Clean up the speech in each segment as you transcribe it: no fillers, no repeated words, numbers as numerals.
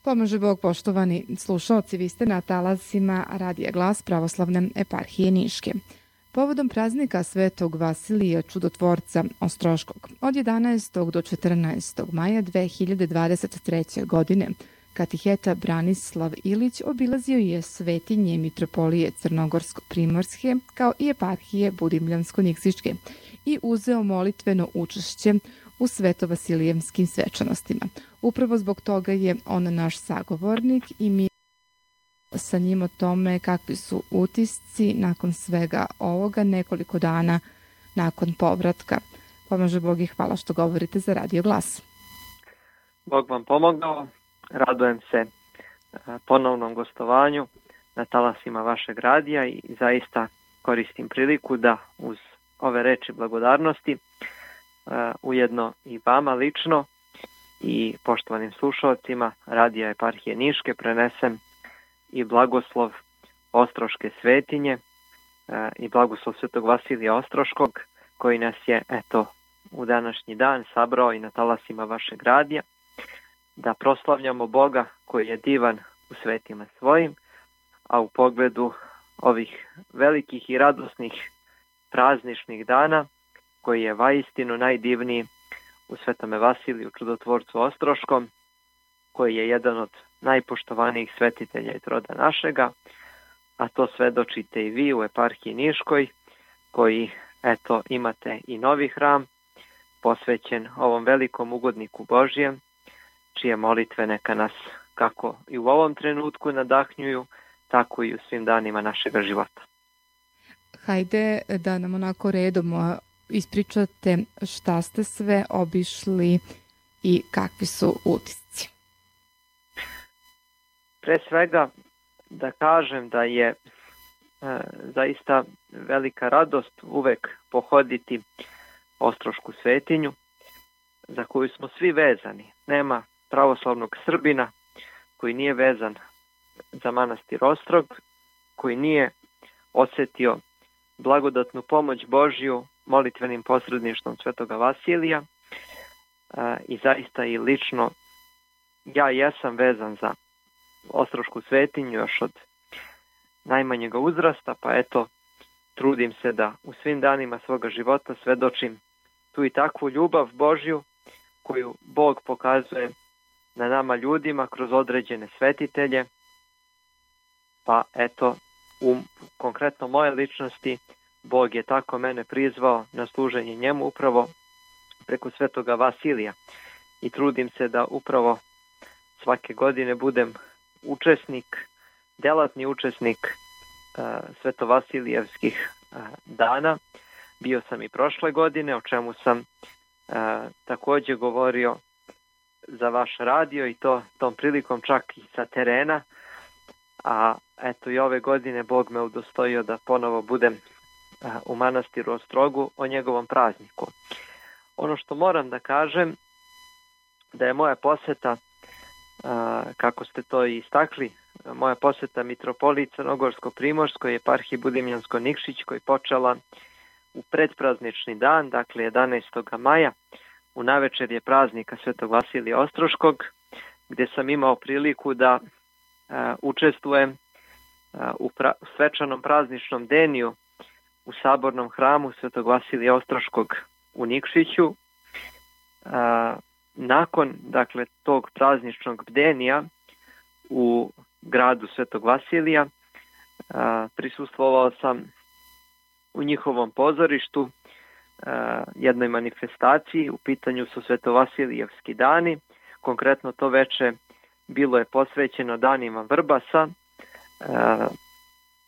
Pomaže Bog, poštovani slušalci, vi ste na talasima Radija Glas Pravoslavne eparhije Niške. Povodom praznika Svetog Vasilija Čudotvorca Ostroškog od 11. do 14. maja 2023. godine katiheta Branislav Ilić obilazio je svetinje mitropolije Crnogorsko-primorske kao i eparhije Budimljansko-Nikšićke i uzeo molitveno učešće u svetovasilijevskim svečanostima. Upravo zbog toga je on naš sagovornik i mi sa njim o tome kakvi su utisci nakon svega ovoga nekoliko dana nakon povratka. Pomaže Bog i hvala što govorite za Radio Glas. Bog vam pomogao. Radujem se ponovnom gostovanju na talasima vašeg radija i zaista koristim priliku da uz ove reči blagodarnosti ujedno i vama lično i poštovanim slušalcima Radija eparhije Niške prenesem i blagoslov Ostroške svetinje i blagoslov Svetog Vasilija Ostroškog koji nas je u današnji dan sabrao i na talasima vašeg radija da proslavljamo Boga koji je divan u svetima svojim, a u pogledu ovih velikih i radosnih prazničnih dana koji je vaistinu najdivniji u Svetome Vasiliju Čudotvorcu Ostroškom, koji je jedan od najpoštovanijih svetitelja iz roda našega, a to svedočite i vi u eparhiji Niškoj, koji imate i novi hram posvećen ovom velikom ugodniku Božijem, čije molitve neka nas kako i u ovom trenutku nadahnjuju, tako i u svim danima našega života. Hajde da nam onako redom ispričate šta ste sve obišli i kakvi su utisci. Pre svega da kažem da je zaista velika radost uvek pohoditi Ostrošku svetinju za koju smo svi vezani. Nema pravoslavnog Srbina koji nije vezan za manastir Ostrog, koji nije osjetio blagodatnu pomoć Božju molitvenim posredništvom Svetoga Vasilija i zaista i lično ja jesam vezan za Ostrošku svetinju još od najmanjega uzrasta, pa trudim se da u svim danima svoga života svedočim tu i takvu ljubav Božju koju Bog pokazuje na nama ljudima kroz određene svetitelje, pa u konkretno moje ličnosti Bog je tako mene prizvao na služenje njemu upravo preko Svetoga Vasilija i trudim se da upravo svake godine budem delatni učesnik Svetovasilijevskih dana. Bio sam i prošle godine, o čemu sam također govorio za vaš radio i tom prilikom čak i sa terena, a i ove godine Bog me udostojio da ponovo budem u manastiru Ostrogu o njegovom prazniku. Ono što moram da kažem da je moja poseta, kako ste to i istakli, moja poseta mitropoliji Crnogorsko-primorskoj eparhiji Budimljansko-Nikšićkoj počela u predpraznični dan, dakle 11. maja, u navečerje praznika Svetog Vasilija Ostroškog, gdje sam imao priliku da učestvujem u svečanom prazničnom deniju u sabornom hramu Svetog Vasilija Ostroškog u Nikšiću. Nakon tog prazničnog bdenija u gradu Svetog Vasilija prisustvovao sam u njihovom pozorištu jednoj manifestaciji. U pitanju su Svetovasilijevski dani, konkretno to veče bilo je posvećeno danima Vrbasa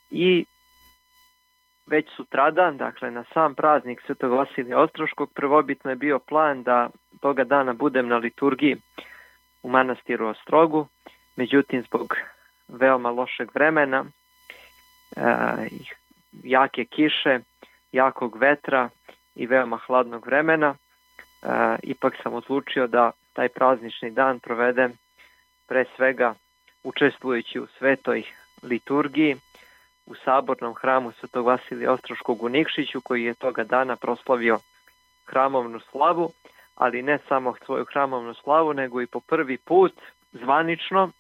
i već sutradan, na sam praznik Svetog Vasilija Ostroškog, prvobitno je bio plan da toga dana budem na liturgiji u manastiru Ostrogu, međutim zbog veoma lošeg vremena, jake kiše, jakog vetra i veoma hladnog vremena, ipak sam odlučio da taj praznični dan provedem pre svega učestvujući u svetoj liturgiji u sabornom hramu Svetog Vasilija Ostroškog u Nikšiću, koji je toga dana proslavio hramovnu slavu, ali ne samo svoju hramovnu slavu, nego i po prvi put zvanično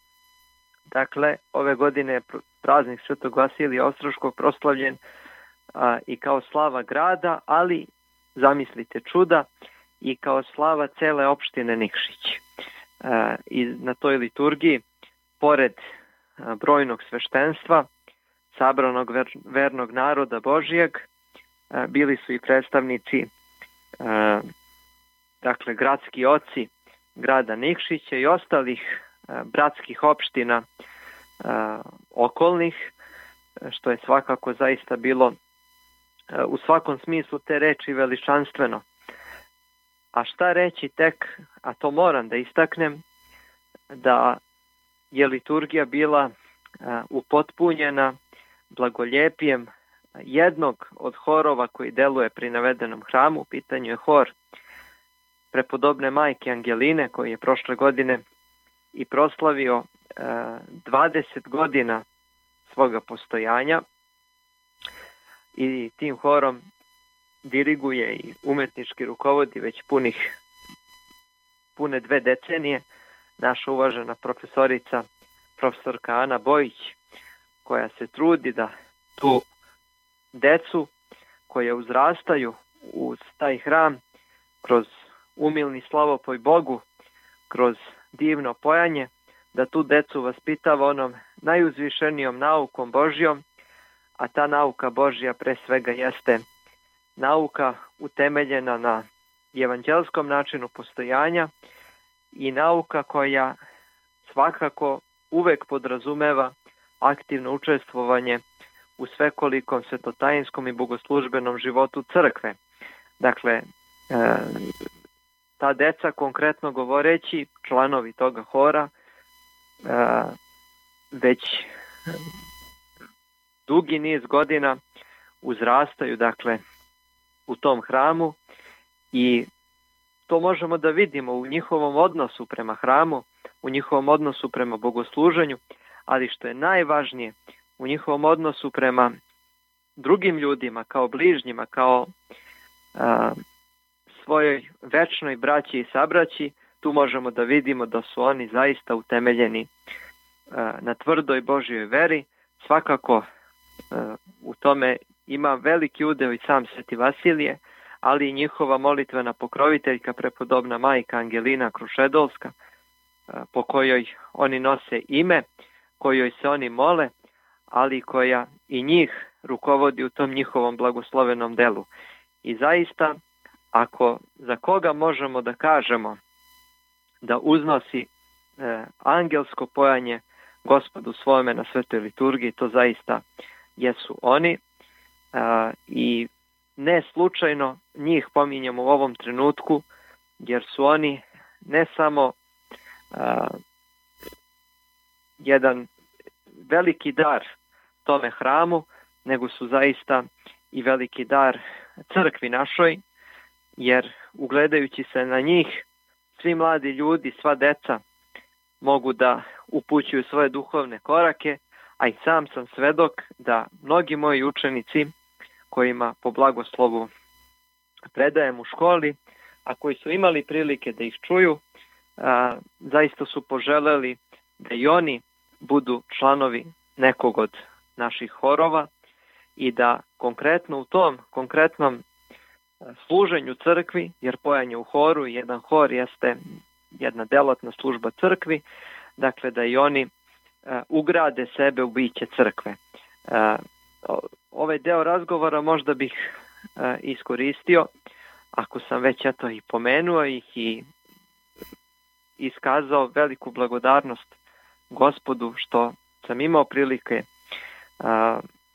Dakle, ove godine je praznik Svetog Vasilija Ostroškog proslavljen i kao slava grada, ali zamislite čuda, i kao slava cele opštine Nikšić. I na toj liturgiji, pored brojnog sveštenstva, sabranog vernog naroda Božijeg, bili su i predstavnici, dakle, gradski oci grada Nikšića i ostalih bratskih opština okolnih, što je svakako zaista bilo u svakom smislu te reči veličanstveno. A šta reći tek, a to moram da istaknem, da je liturgija bila upotpunjena blagoljepijem jednog od horova koji deluje pri navedenom hramu. U pitanju je hor prepodobne majke Angeline, koji je prošle godine i proslavio 20 godina svoga postojanja, i tim horom diriguje i umetnički rukovodi već pune 2 decenije naša uvažena profesorka Ana Bojić, koja se trudi da tu decu koja uzrastaju uz taj hram, kroz umilni slavopoj Bogu, kroz divno pojanje, da tu decu vaspitava onom najuzvišenijom naukom Božjom, a ta nauka Božja pre svega jeste nauka utemeljena na evanđelskom načinu postojanja i nauka koja svakako uvek podrazumeva aktivno učestvovanje u svekolikom svetotajinskom i bogoslužbenom životu crkve. Dakle, ta deca, konkretno govoreći, članovi toga hora, već dugi niz godina uzrastaju, dakle, u tom hramu, i to možemo da vidimo u njihovom odnosu prema hramu, u njihovom odnosu prema bogosluženju, ali što je najvažnije, u njihovom odnosu prema drugim ljudima, kao bližnjima, kao svojoj večnoj braći i sabraći. Tu možemo da vidimo da su oni zaista utemeljeni na tvrdoj Božjoj veri. Svakako u tome ima veliki udeo i sam Sveti Vasilije, ali i njihova molitvena pokroviteljka, prepodobna majka Angelina Krušedolska, po kojoj oni nose ime, kojoj se oni mole, ali koja i njih rukovodi u tom njihovom blagoslovenom delu. I zaista, ako za koga možemo da kažemo da uznosi angelsko pojanje Gospodu svome na svetoj liturgiji, to zaista jesu oni, i ne slučajno njih pominjemo u ovom trenutku, jer su oni ne samo jedan veliki dar tome hramu, nego su zaista i veliki dar crkvi našoj, jer ugledajući se na njih, svi mladi ljudi, sva deca mogu da upućuju svoje duhovne korake, a i sam sam svedok da mnogi moji učenici, kojima po blagoslovu predajem u školi, a koji su imali prilike da ih čuju, zaista su poželeli da i oni budu članovi nekog od naših horova i da konkretno u tom konkretnom služenju crkvi, jer pojanje u horu, jedan hor jeste jedna delatna služba crkvi, dakle da i oni ugrade sebe u biće crkve. Ovaj deo razgovora možda bih iskoristio, ako sam već i pomenuo ih i iskazao veliku blagodarnost Gospodu što sam imao prilike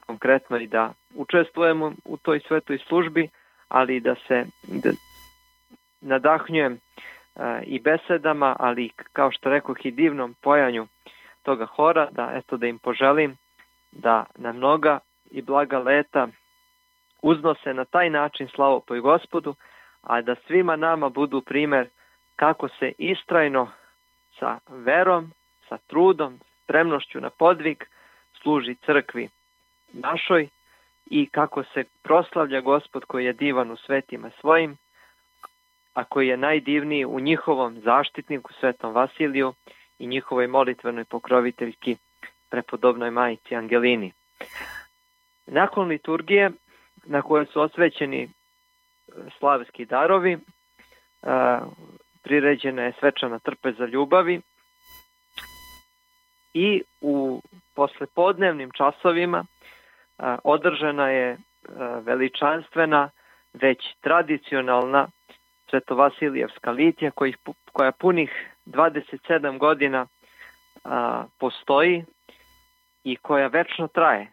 konkretno i da učestvujemo u toj svetoj službi, ali da se nadahnjujem i besedama, ali kao što rekoh i divnom pojanju toga hora, da im poželim da na mnoga i blaga leta uznose na taj način slavopoj Gospodu, a da svima nama budu primer kako se istrajno sa verom, sa trudom, spremnošću na podvig služi crkvi našoj i kako se proslavlja Gospod koji je divan u svetima svojim, a koji je najdivniji u njihovom zaštitniku Svetom Vasiliju i njihovoj molitvenoj pokroviteljki prepodobnoj majci Angelini. Nakon liturgije na kojoj su osvećeni slavski darovi, priređena je svečana trpeza ljubavi i u poslepodnevnim časovima održana je veličanstvena, već tradicionalna Svetovasilijevska litija koja punih 27 godina postoji i koja večno traje.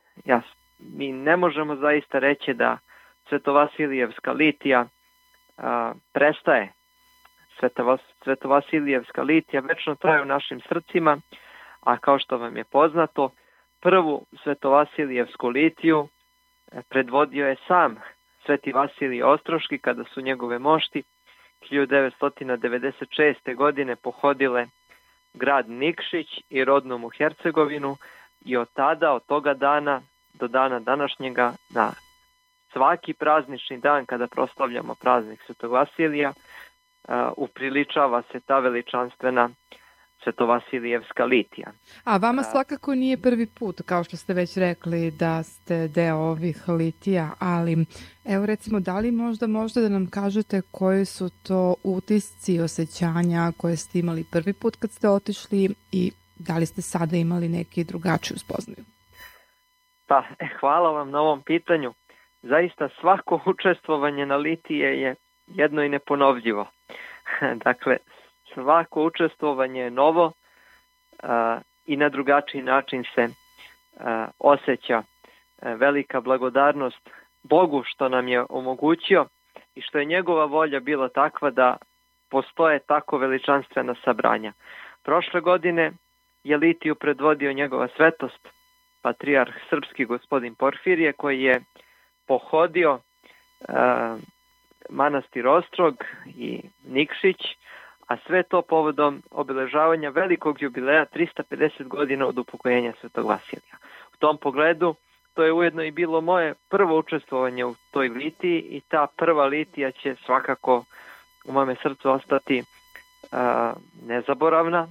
Mi ne možemo zaista reći da Svetovasilijevska litija prestaje. Svetovasilijevska litija večno traje u našim srcima, a kao što vam je poznato, prvu Svetovasilijevsku litiju predvodio je sam Sveti Vasilij Ostroški kada su njegove mošti 1996. godine pohodile grad Nikšić i rodnu mu Hercegovinu i od toga dana do dana današnjega na svaki praznični dan kada proslavljamo praznik Svetog Vasilija upriličava se ta veličanstvena Svetovasilijevska litija. A vama svakako nije prvi put, kao što ste već rekli, da ste deo ovih litija, ali evo recimo, da li možda da nam kažete koji su to utisci i osjećanja koje ste imali prvi put kad ste otišli i da li ste sada imali neki drugačiju spoznaju? Pa, hvala vam na ovom pitanju. Zaista svako učestvovanje na litije je jedno i neponovljivo. Dakle, svako učestvovanje je novo i na drugačiji način se osjeća velika blagodarnost Bogu što nam je omogućio i što je njegova volja bila takva da postoje tako veličanstvena sabranja. Prošle godine je litiju predvodio njegova svetost, patrijarh srpski gospodin Porfirije, koji je pohodio manastir Ostrog i Nikšić, a sve to povodom obeležavanja velikog jubileja 350 godina od upokojenja Svetog Vasilija. U tom pogledu to je ujedno i bilo moje prvo učestvovanje u toj litiji i ta prva litija će svakako u mome srcu ostati nezaboravna.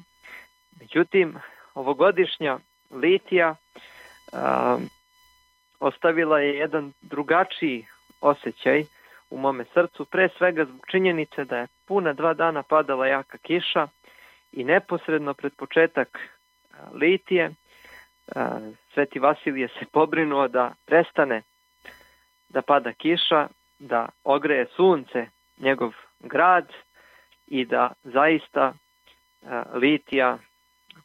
Međutim, ovogodišnja litija ostavila je jedan drugačiji osjećaj u mome srcu, pre svega zbog činjenice da je puna 2 dana padala jaka kiša i neposredno pred početak litije Sveti Vasilije se pobrinuo da prestane da pada kiša, da ogreje sunce njegov grad i da zaista litija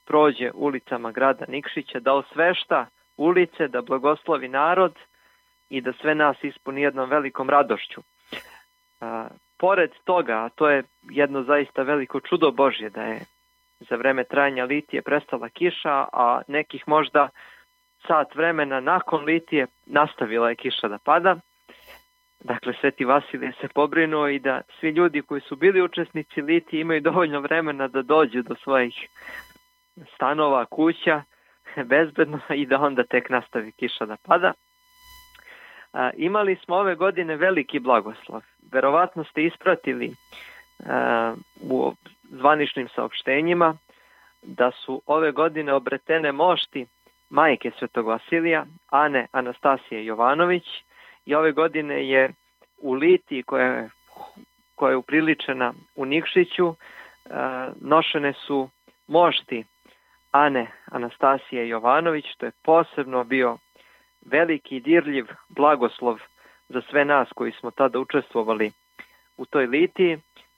prođe ulicama grada Nikšića, da osvešta ulice, da blagoslovi narod i da sve nas ispuni jednom velikom radošću. Pored toga, a to je jedno zaista veliko čudo Božje, da je za vreme trajanja litije prestala kiša, a nekih možda sat vremena nakon litije nastavila je kiša da pada. Dakle, Sveti Vasilije se pobrinuo i da svi ljudi koji su bili učesnici litije imaju dovoljno vremena da dođu do svojih stanova, kuća, bezbedno i da onda tek nastavi kiša da pada. Imali smo ove godine veliki blagoslov. Verovatno ste ispratili u zvaničnim saopštenjima da su ove godine obretene mošti majke Svetog Vasilija, Ane Anastasije Jovanović, i ove godine je u litiji koja je upriličena u Nikšiću nošene su mošti Ane Anastasije Jovanović, što je posebno bio veliki dirljiv blagoslov za sve nas koji smo tada učestvovali u toj litiji,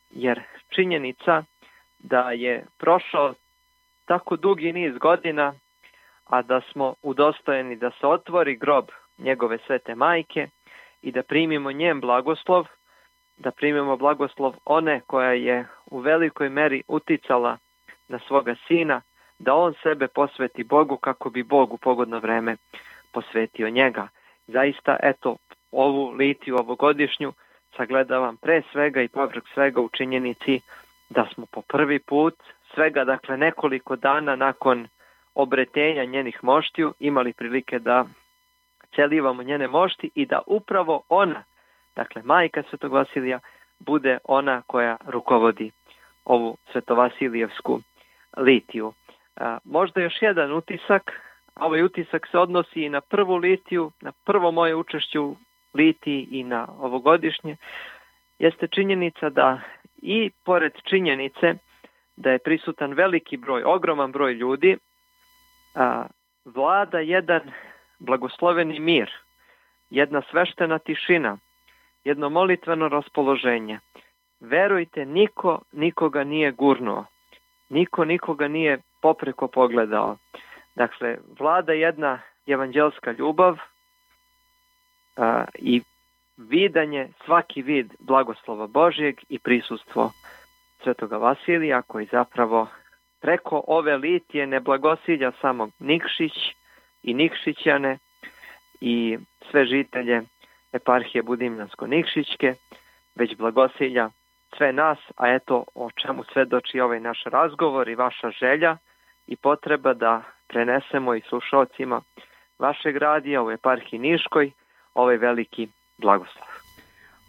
jer činjenica da je prošao tako dugi niz godina, a da smo udostojeni da se otvori grob njegove svete majke i da primimo njen blagoslov, da primimo blagoslov one koja je u velikoj meri uticala na svoga sina, da on sebe posveti Bogu kako bi Bog u pogodno vreme posvetio njega. Zaista, eto, ovu litiju ovogodišnju sagledavam pre svega i povrh svega u činjenici da smo po prvi put, svega dakle nekoliko dana nakon obretenja njenih moštiju, imali prilike da celivamo njene mošti i da upravo ona, dakle majka Svetog Vasilija, bude ona koja rukovodi ovu Svetovasilijevsku litiju. Možda još jedan utisak, ovaj utisak se odnosi i na prvu litiju, na prvo moje učešće u litiji i na ovogodišnje, jeste činjenica da i pored činjenice da je prisutan veliki broj, ogroman broj ljudi, vlada jedan blagosloveni mir, jedna sveštena tišina, jedno molitveno raspoloženje. Verujte, niko nikoga nije gurnuo, niko nikoga nije popreko pogledao. Dakle, vlada jedna evanđelska ljubav i vidanje, svaki vid blagoslova Božjeg i prisustvo Svetoga Vasilija, koji zapravo preko ove litije ne blagosilja samo Nikšić i Nikšićane i sve žitelje eparhije Budimljansko-Nikšićke, već blagosilja sve nas, a eto o čemu svedoči ovaj naš razgovor i vaša želja i potreba da prenesemo i slušalcima vašeg radija u eparhiji Niškoj ovaj veliki blagoslov.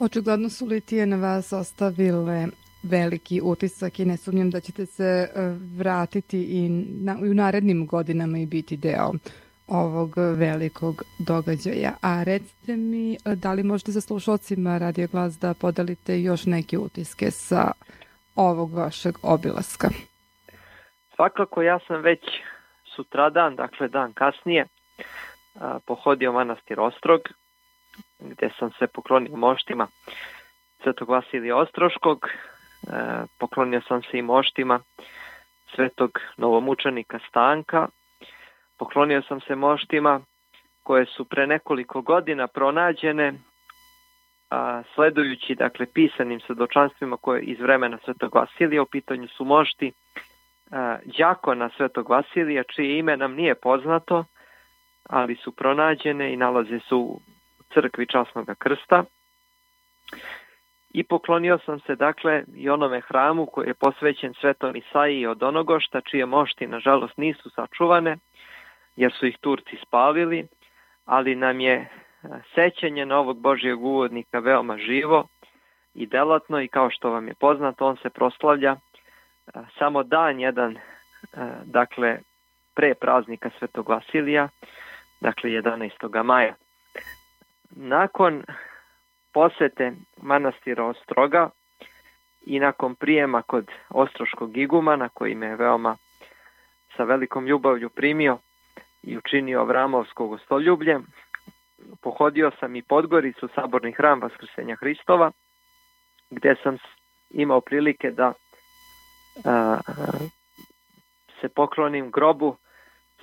Očigledno su litije na vas ostavile veliki utisak i ne sumnjam da ćete se vratiti i u narednim godinama i biti deo ovog velikog događaja. A recite mi, da li možete sa slušalcima Radio Glas da podelite još neke utiske sa ovog vašeg obilaska? Svakako, ja sam već sutradan, dakle dan kasnije, pohodio manastir Ostrog, gde sam se poklonio moštima Svetog Vasilija Ostroškog, poklonio sam se i moštima Svetog novomučenika Stanka, poklonio sam se moštima koje su pre nekoliko godina pronađene, sledujući dakle pisanim svedočanstvima koje iz vremena Svetog Vasilija. U pitanju su mošti đakona Svetog Vasilija, čije ime nam nije poznato, ali su pronađene i nalaze se u crkvi Časnog krsta. I poklonio sam se dakle i onome hramu koji je posvećen Svetom Isaiji od Onogošta, čije mošti nažalost nisu sačuvane, jer su ih Turci spalili, ali nam je sećanje na ovog Božjeg uvodnika veoma živo i delatno, i kao što vam je poznato, on se proslavlja samo dan jedan, dakle pre praznika Svetog Vasilija, dakle 11. maja. Nakon posete manastira Ostroga i nakon prijema kod ostroškog igumana, koji me je veoma sa velikom ljubavlju primio i učinio Avramovsko gostoljublje, pohodio sam i Podgoricu, saborni hram Vaskrsenja Hristova, gde sam imao prilike da se poklonim grobu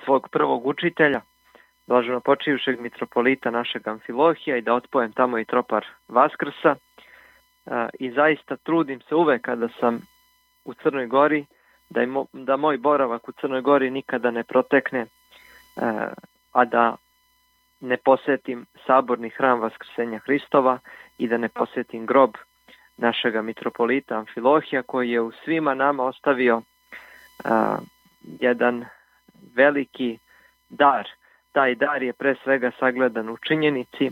svog prvog učitelja, blaženopočivšeg mitropolita našeg Amfilohija, i da otpojem tamo i tropar Vaskrsa. I zaista trudim se uvek kada sam u Crnoj Gori da moj boravak u Crnoj Gori nikada ne protekne, a da ne posetim saborni hram Vaskrsenja Hristova i da ne posetim grob našega mitropolita Amfilohija, koji je u svima nama ostavio jedan veliki dar. Taj dar je pre svega sagledan u činjenici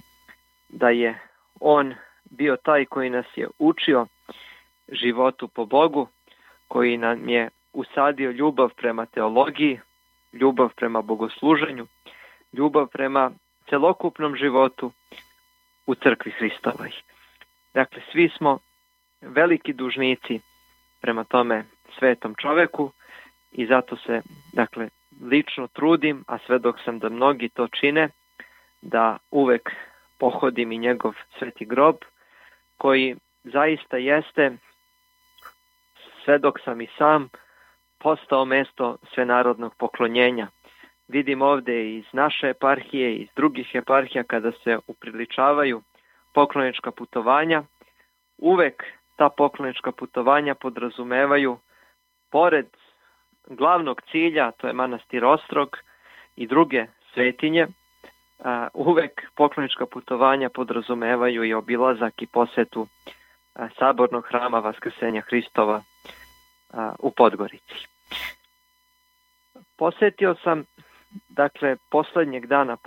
da je on bio taj koji nas je učio životu po Bogu, koji nam je usadio ljubav prema teologiji, ljubav prema bogosluženju, ljubav prema celokupnom životu u crkvi Hristovoj. Dakle, svi smo veliki dužnici prema tome svetom čoveku i zato se, dakle, lično trudim, a svedok sam da mnogi to čine, da uvek pohodim i njegov sveti grob, koji zaista jeste, svedok sam i sam, postao mesto svenarodnog poklonjenja. Vidim ovde iz naše eparhije i iz drugih eparhija, kada se upriličavaju poklonička putovanja, uvek ta poklonička putovanja podrazumevaju, pored glavnog cilja, to je manastir Ostrog i druge svetinje, uvek poklonička putovanja podrazumevaju i obilazak i posetu sabornog hrama Vaskrsenja Hristova u Podgorici. Posetio sam, dakle, poslednjeg dana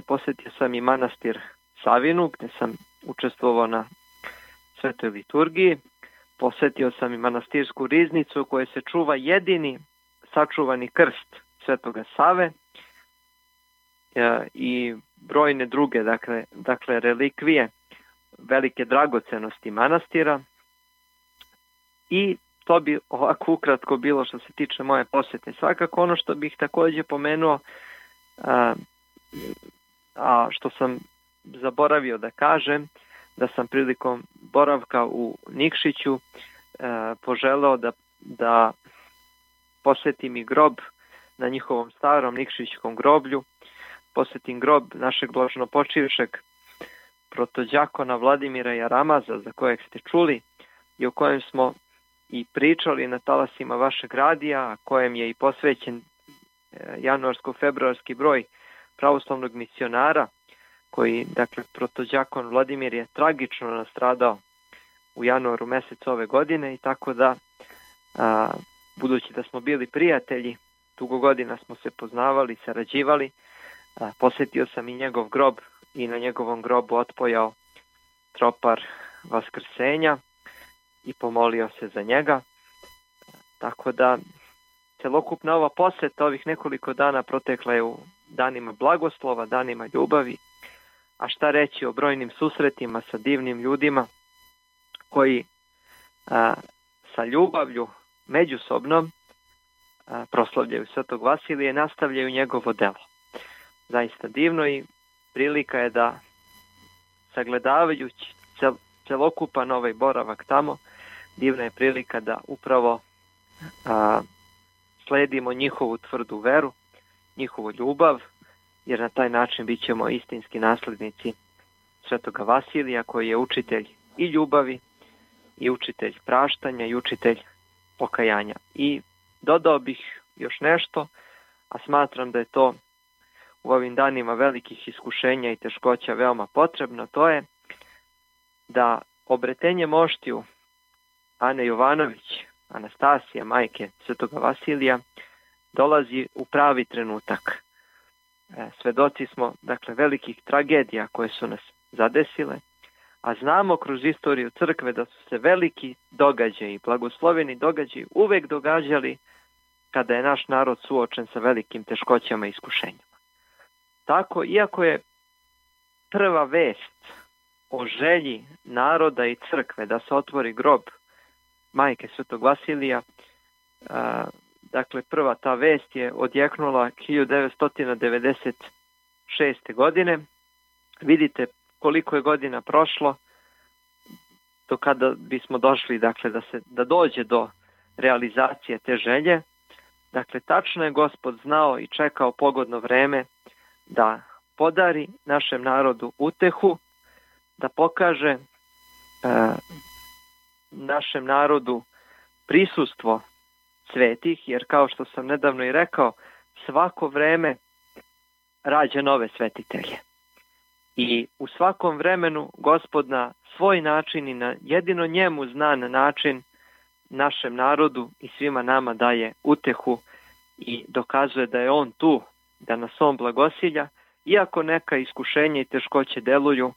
posetio sam i manastir Savinu, gde sam učestvovao na svetoj liturgiji. Posetio sam i manastirsku riznicu, u kojoj se čuva jedini sačuvani krst Svetoga Save, i brojne druge, dakle relikvije, velike dragocenosti manastira. I to bi ovako ukratko bilo što se tiče moje posjete. Svakako ono što bih također pomenuo, a što sam zaboravio da kažem, da sam prilikom boravka u Nikšiću poželeo da posjetim i grob na njihovom starom nikšićkom groblju, posjetim grob našeg blaženopočivšeg protođakona Vladimira Jaramaza, za kojeg ste čuli i o kojem smo i pričali na talasima vašeg radija, a kojem je i posvećen januarsko-februarski broj pravoslavnog misionara, koji, dakle, protođakon Vladimir je tragično nastradao u januaru mjesecu ove godine, i tako da, budući da smo bili prijatelji, dugo godina smo se poznavali, sarađivali, posjetio sam i njegov grob i na njegovom grobu otpojao tropar Vaskrsenja i pomolio se za njega. Tako da celokupna ova posjeta ovih nekoliko dana protekla je u danima blagoslova, danima ljubavi, a šta reći o brojnim susretima sa divnim ljudima koji sa ljubavlju međusobnom proslavljaju Svetog Vasilija i nastavljaju njegovo delo. Zaista divno, i prilika je da, sagledavajući celokupan ovaj boravak tamo, divna je prilika da upravo sledimo njihovu tvrdu veru, njihovu ljubav, jer na taj način bit ćemo istinski naslednici Svetoga Vasilija, koji je učitelj i ljubavi, i učitelj praštanja, i učitelj pokajanja. I dodao bih još nešto, a smatram da je to u ovim danima velikih iskušenja i teškoća veoma potrebno, to je da obretenje moštiju Ane Jovanović, Anastasija, majke Svetoga Vasilija, dolazi u pravi trenutak. Svedoci smo, dakle, velikih tragedija koje su nas zadesile, a znamo kroz istoriju crkve da su se veliki događaji, blagosloveni događaji uvek događali kada je naš narod suočen sa velikim teškoćama i iskušenjima. Tako, iako je prva vest o želji naroda i crkve da se otvori grob majke Svetog Vasilija, dakle, prva ta vest je odjeknula 1996. godine. Vidite koliko je godina prošlo do kada bismo došli, dakle, da dođe do realizacije te želje. Dakle, tačno je Gospod znao i čekao pogodno vreme da podari našem narodu utehu, da pokaže našem narodu prisustvo svetih, jer kao što sam nedavno i rekao, svako vreme rađa nove svetitelje. I u svakom vremenu Gospod na svoj način i na jedino njemu znan način našem narodu i svima nama daje utehu i dokazuje da je on tu, da nas on blagosilja, iako neka iskušenja i teškoće deluju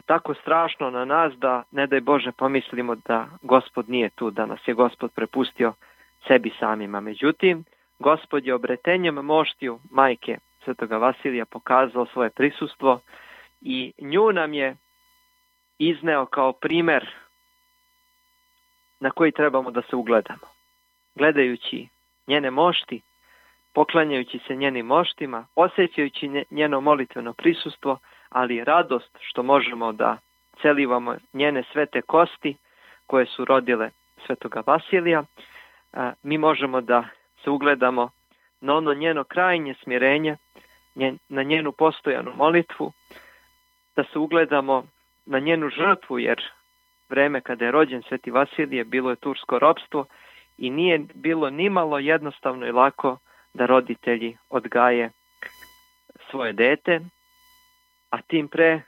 tako strašno na nas da, ne daj Bože, pomislimo da Gospod nije tu, da nas je Gospod prepustio sebi samima. Međutim, Gospod je obretenjem moštiju majke Svetoga Vasilija pokazao svoje prisustvo i nju nam je izneo kao primer na koji trebamo da se ugledamo. Gledajući njene mošti, poklanjajući se njenim moštima, osjećajući njeno molitveno prisustvo, ali i radost što možemo da celivamo njene svete kosti koje su rodile Svetoga Vasilija, mi možemo da se ugledamo na ono njeno krajnje smirenje, na njenu postojanu molitvu, da se ugledamo na njenu žrtvu, jer vreme kada je rođen Sveti Vasilije bilo je tursko ropstvo i nije bilo nimalo jednostavno i lako da roditelji odgaje svoje dete, a tim pre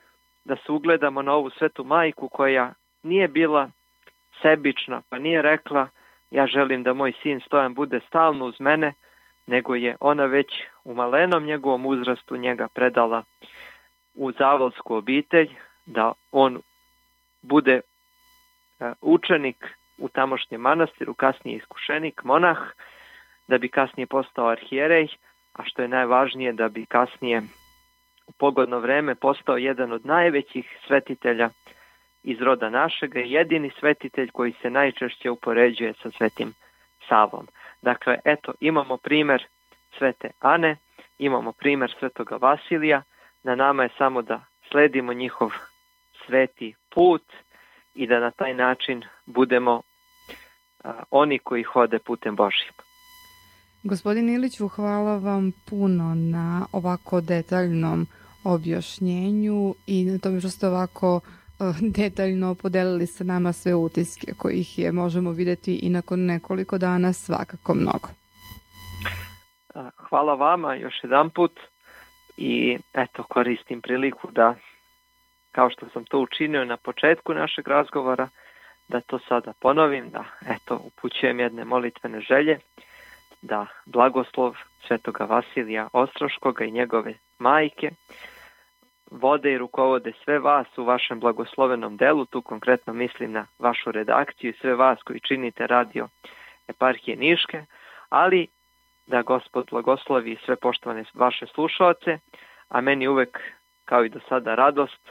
da se ugledamo na ovu svetu majku koja nije bila sebična, pa nije rekla ja želim da moj sin Stojan bude stalno uz mene, nego je ona već u malenom njegovom uzrastu njega predala u zavolsku obitelj, da on bude učenik u tamošnjem manastiru, kasnije iskušenik, monah, da bi kasnije postao arhijerej, a što je najvažnije da bi kasnije u pogodno vreme postao jedan od najvećih svetitelja iz roda našega, jedini svetitelj koji se najčešće upoređuje sa Svetim Savom. Dakle, eto, imamo primjer Svete Ane, imamo primjer Svetoga Vasilija, na nama je samo da sledimo njihov sveti put i da na taj način budemo oni koji hode putem Božjim. Gospodin Iliću, hvala vam puno na ovako detaljnom objašnjenju i na tome što ste ovako detaljno podelili sa nama sve utiske kojih je možemo vidjeti i nakon nekoliko dana svakako mnogo. Hvala vama još jedan put i eto, koristim priliku da, kao što sam to učinio na početku našeg razgovora, da to sada ponovim, da eto, upućujem jedne molitvene želje, da blagoslov Svetoga Vasilija Ostroškoga i njegove majke vode i rukovode sve vas u vašem blagoslovenom delu, tu konkretno mislim na vašu redakciju i sve vas koji činite radio Eparhije Niške, ali da Gospod blagoslovi sve poštovane vaše slušaoce, a meni uvek, kao i do sada, radost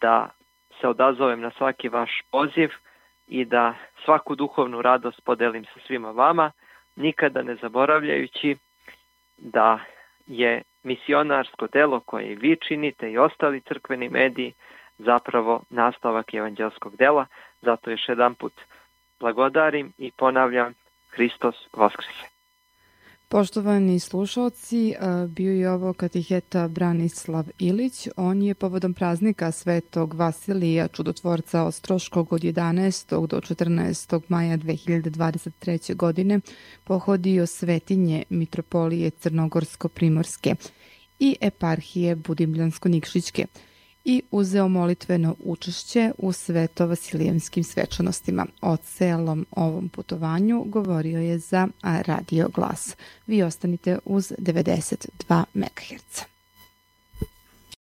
da se odazovem na svaki vaš poziv i da svaku duhovnu radost podelim sa svima vama, nikada ne zaboravljajući da je misionarsko delo koje vi činite i ostali crkveni mediji zapravo nastavak evanđelskog dela. Zato još jedan put blagodarim i ponavljam, Hristos Voskrese. Poštovani slušalci, bio je ovo katiheta Branislav Ilić. On je povodom praznika Svetog Vasilija Čudotvorca Ostroškog od 11. do 14. maja 2023. godine pohodio svetinje Mitropolije Crnogorsko-Primorske i Eparhije Budimljansko-Nikšićke i uzeo molitveno učešće u svetovasilijevskim svečanostima. O celom ovom putovanju govorio je za Radio Glas. Vi ostanite uz 92 MHz.